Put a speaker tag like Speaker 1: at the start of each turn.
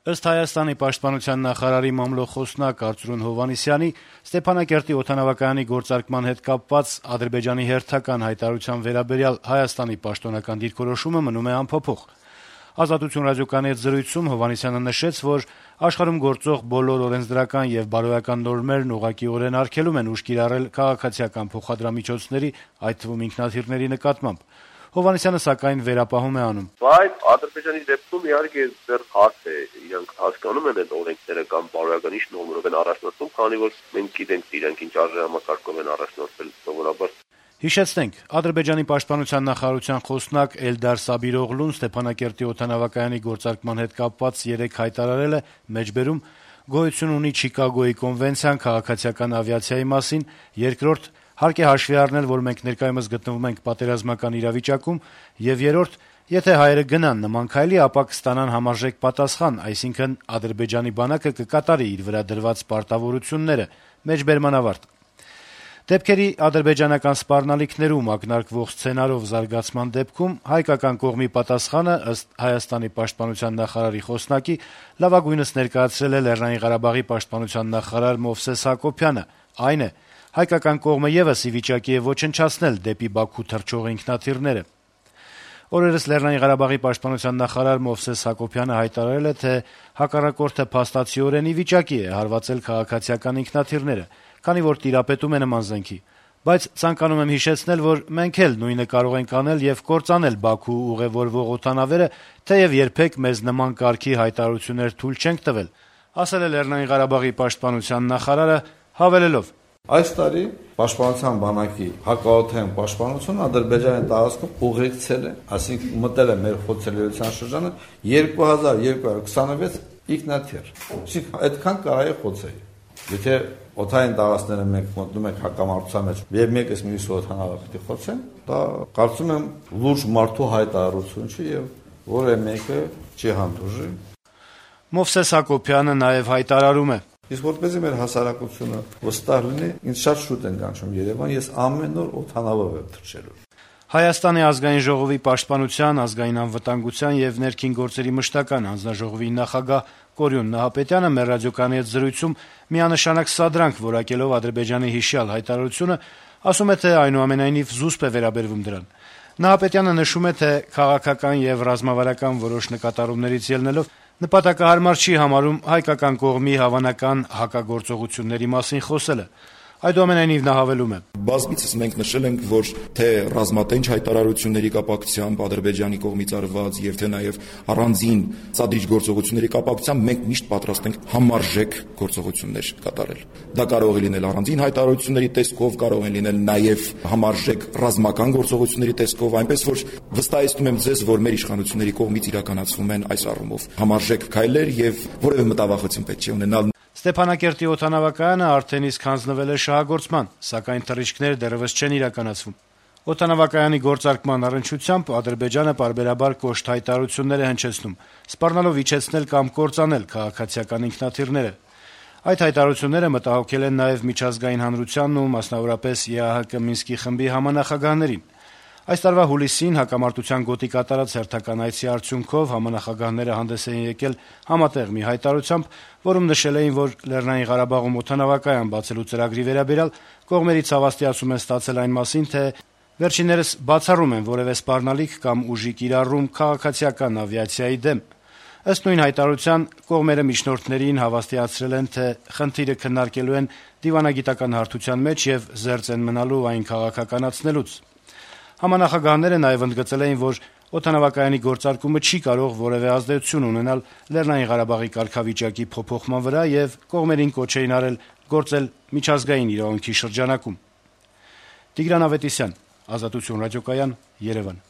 Speaker 1: Ըստ Հայաստանի պաշտպանության նախարարի մամլոխոսնակ Արծրուն Հովհաննիսյանի, Ստեփանակերտի օդանավակայանի գործարկման հետ կապված Ադրբեջանի հերթական հայտարարության վերաբերյալ Հայաստանի պաշտոնական դիրքորոշումը մնում է անփոփոխ։ «Ազատություն» ռադիոկայանի հետ զրույցում Հովհաննիսյանը նշեց, որ աշխարհում գործող բոլոր օրենսդրական եւ բարոյական նորմերն ուղղակիորեն արգելում են ուժ կիրառել քաղաքացիական փոխադրամիջոցների, այդ թվում ինքնաթիռների նկատմամբ։ Հովհաննիսյանը սակայն վերապահում է անում.
Speaker 2: Բայց Ադրբեջանի դեպքում իհարկե դեռ հարց է, իրենք հասկանում են այդ օրենքները կամ բարոյական ինչ նորմերով են առաջնորդվում, քանի որ մենք գիտենք իրենք ինչ արժեհամակարգով են առաջնորդվել սովորաբար։
Speaker 1: Հիշեցնենք, Ադրբեջանի պաշտպանության նախարարության խոսնակ Էլդար Սաբիրօղլուն Ստեփանակերտի օդանավակայանի գործարկման հետ կապված երեկ հայտարարել է, մեջբերում գոյություն ունի Չիկագոյի կոնվենցիան քաղաքացիական ավիացիայի մասին, երկրորդ հարկ է հաշվի առնել, որ մենք ներկայումս գտնվում ենք պատերազմական իրավիճակում, եւ երրորդ, եթե հայերը գնան նման քայլի, ապա կստանան համարժեք պատասխան, այսինքն Ադրբեջանի բանակը կկատարի իր վրա դրված պարտավորությունները, մեջբերման ավարտ։ Դեպքերի ադրբեջանական սպառնալիքներում ակնարկվող սցենարով զարգացման դեպքում հայկական կողմի պատասխանը, ըստ Հայաստանի պաշտպանության նախարարի խոսնակի, լավագույնս ներկայացրել է Լեռնային Ղարաբաղի պաշտպանության նախարար Մովսես Հակոբյանը, այն է, հայկական կողմը եւս ի վիճակի է ոչնչացնել դեպի Բաքու թռչող ինքնաթիռները։ Օրերս Լեռնային Ղարաբաղի պաշտպանության նախարար Մովսես Հակոբյանը հայտարարել է, թե հակառակորդը փաստացիորեն ի վիճակի է հարվածել քաղաքացիական ինքնաթիռները, քանի որ տիրապետում է նման զենքի։ Բայց ցանկանում եմ հիշեցնել, որ մենք էլ նույնը կարող ենք անել եւ կործանել Բաքու ուղևորվող օդանավերը, թեեւ երբեք մեզ նման կարգի հայտարարություններ թույլ չենք տվել, ասել է Լեռնային Ղարաբաղի պաշտպանության նախարարը, հավելելով.
Speaker 3: Այս տարի պաշտպանության բանակի հակաօդային պաշտպանությունը Ադրբեջանի տարածքում ուղեկցել է, այսինքն մտել է մեր խոցելիության շրջանը 2226 ինքնաթիռ։ Այսինքն այդքան կարելի է խոցել։ Եթե օդային տարածքները մենք մտնում ենք հակամարտության մեջ եւ մեկս մյուսի օդանավը պետք է խոցեն, դա կարծում եմ լուրջ մարդու հայտարարություն չի եւ որևէ մեկը չի հանդուրժի։
Speaker 1: Մովսես Հակոբյանը նաեւ հայտարարում է.
Speaker 3: Իսկ որպեսզի մեր հասարակությունը վստահ լինի, ինձ շատ շուտ են կանչում Երևան, ես ամեն օր օդանավով եմ թռչելու։
Speaker 1: Հայաստանի ազգային ժողովի պաշտպանության, ազգային անվտանգության եւ ներքին գործերի մշտական հանձնաժողովի նախագահ Կորյուն Նահապետյանը մեր ռադիոկայանի հետ զրույցում միանշանակ սադրանք որակելով Ադրբեջանի հիշյալ հայտարարությունը, ասում է, թե այնուամենայնիվ զուսպ է վերաբերվում դրան։ Նահապետյանը նշում է, թե քաղաքական եւ ռազմավարական որոշ նկատառումներից ելնելով նպատակահարմար չի համարում հայկական կողմի հավանական հակագործողությունների մասին խոսելը։ Այդուամենայնիվ նա հավելում է.
Speaker 4: Բազմիցս մենք նշել ենք, որ թե ռազմատենչ հայտարարությունների կապակցությամբ Ադրբեջանի կողմից արված եւ թե նաեւ առանձին ցածրիչ գործողությունների կապակցությամբ մենք միշտ պատրաստ ենք համարժեք գործողություններ կատարել։ Դա կարող է լինել առանձին հայտարարությունների տեսքով, կարող է լինել նաեւ համարժեք ռազմական գործողությունների տեսքով, այնպես որ վստահեցնում եմ ձեզ, որ մեր իշխանությունների կողմից իրականացվում են այս առումով համարժեք քայլեր եւ որևէ մտավախություն պետք չի ունենալ։
Speaker 1: Ստեփանակերտի օդանավակայանը արդեն իսկ հանձնվել է շահագործման, սակայն թռիչքները դեռևս չեն իրականացվում։ Օդանավակայանի գործարկման առնչությամբ Ադրբեջանը պարբերաբար կոշտ հայտարարություններ է հնչեցնում, սպառնալով իջեցնել կամ կործանել քաղաքացիական ինքնաթիռները։ Այդ հայտարարությունները մտահոգել են նաև միջազգային հանրությանն ու մասնավորապես ԵԱՀԿ Մինսկի խմբի համանախագահներին։ Այս տարվա հուլիսին հակամարտության գոտի կատարած հերթական այցի արդյունքով համանախագահները հանդես էին եկել համատեղ մի հայտարարությամբ, որում նշել էին, որ Լեռնային Ղարաբաղում օդանավակայան բացելու ծրագրի վերաբերյալ կողմերից հավաստիացում են ստացել այն մասին, թե վերջիններս բացառում են որևէ սպառնալիք կամ ուժի կիրառում քաղաքացիական ավիացիայի դեմ։ Ըստ նույն հայտարարության կողմերը միջնորդներին հավաստիացրել են, թե խնդիրը քննարկելու են դիվանագիտական հարթության մեջ եւ զերծ են մնալու այն քաղաքականացնելուց։ Համանախագահները նաև ընդգծել էին, որ օդանավակայանի գործարկումը չի կարող որևէ ազդեցություն ունենալ Լեռնային Ղարաբաղի կարգավիճակի փոփոխման վրա եւ կողմերին կոչ էին արել գործել միջազգային իրավունքի շրջանակում։ Տիգրան Ավետիսյան, Ազատություն ռադիոկայան, Երևան։